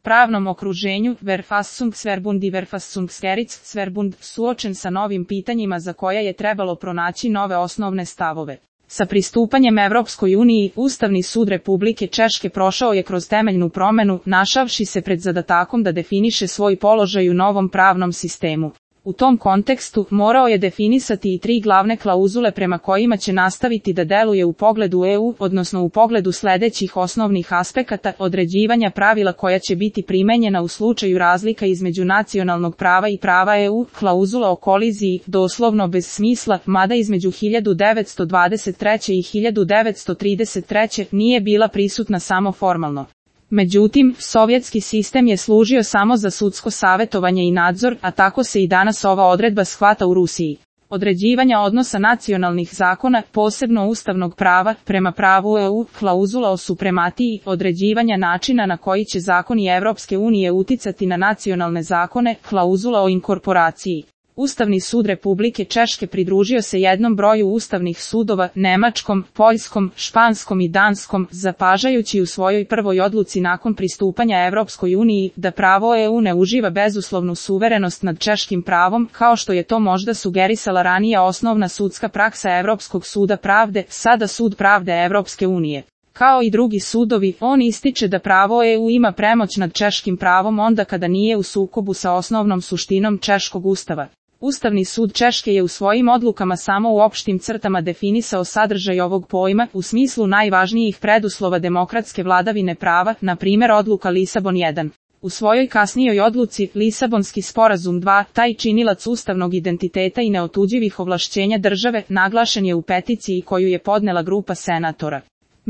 pravnom okruženju, Verfassungsverbund i Verfassungsgerichtsverbund, suočen sa novim pitanjima za koja je trebalo pronaći nove osnovne stavove. Sa pristupanjem Evropskoj uniji, Ustavni sud Republike Češke prošao je kroz temeljnu promenu, našavši se pred zadatakom da definiše svoj položaj u novom pravnom sistemu. U tom kontekstu, morao je definisati i 3 glavne klauzule prema kojima će nastaviti da deluje u pogledu EU, odnosno u pogledu sledećih osnovnih aspekata određivanja pravila koja će biti primenjena u slučaju razlika između nacionalnog prava i prava EU, klauzula o koliziji, doslovno bez smisla, mada između 1923. i 1933. nije bila prisutna samo formalno. Međutim, sovjetski sistem je služio samo za sudsko savetovanje i nadzor, a tako se i danas ova odredba shvata u Rusiji. Određivanja odnosa nacionalnih zakona, posebno ustavnog prava, prema pravu EU, klauzula o suprematiji, određivanja načina na koji će zakoni Evropske unije uticati na nacionalne zakone, klauzula o inkorporaciji. Ustavni sud Republike Češke pridružio se jednom broju ustavnih sudova, nemačkom, poljskom, španskom i danskom, zapažajući u svojoj prvoj odluci nakon pristupanja Evropskoj uniji da pravo EU ne uživa bezuslovnu suverenost nad češkim pravom, kao što je to možda sugerisala ranija osnovna sudska praksa Evropskog suda pravde, sada Sud pravde Evropske unije. Kao i drugi sudovi, on ističe da pravo EU ima premoć nad češkim pravom onda kada nije u sukobu sa osnovnom suštinom češkog ustava. Ustavni sud Češke je u svojim odlukama samo u opštim crtama definisao sadržaj ovog pojma u smislu najvažnijih preduslova demokratske vladavine prava, na primjer odluka Lisabon 1. U svojoj kasnijoj odluci, Lisabonski sporazum 2, taj činilac ustavnog identiteta i neotuđivih ovlašćenja države, naglašen je u peticiji koju je podnela grupa senatora.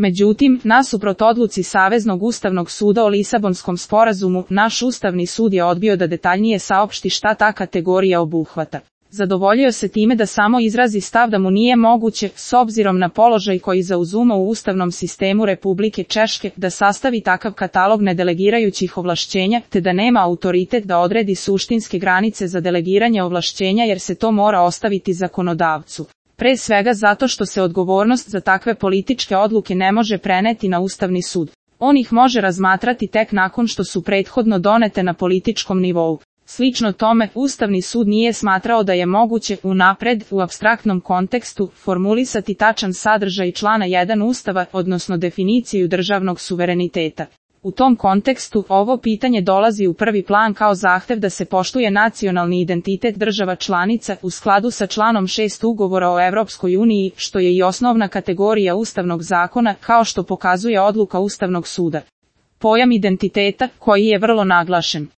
Međutim, nasuprot odluci Saveznog ustavnog suda o Lisabonskom sporazumu, naš Ustavni sud je odbio da detaljnije saopšti šta ta kategorija obuhvata. Zadovoljio se time da samo izrazi stav da mu nije moguće, s obzirom na položaj koji zauzima u ustavnom sistemu Republike Češke, da sastavi takav katalog nedelegirajućih ovlašćenja, te da nema autoritet da odredi suštinske granice za delegiranje ovlašćenja jer se to mora ostaviti zakonodavcu. Pre svega zato što se odgovornost za takve političke odluke ne može preneti na Ustavni sud. On ih može razmatrati tek nakon što su prethodno donete na političkom nivou. Slično tome, Ustavni sud nije smatrao da je moguće unapred, u apstraktnom kontekstu, formulisati tačan sadržaj člana 1 Ustava, odnosno definiciju državnog suvereniteta. U tom kontekstu, ovo pitanje dolazi u prvi plan kao zahtev da se poštuje nacionalni identitet država članica u skladu sa članom 6 Ugovora o Evropskoj uniji, što je i osnovna kategorija ustavnog zakona, kao što pokazuje odluka Ustavnog suda. Pojam identiteta, koji je vrlo naglašen.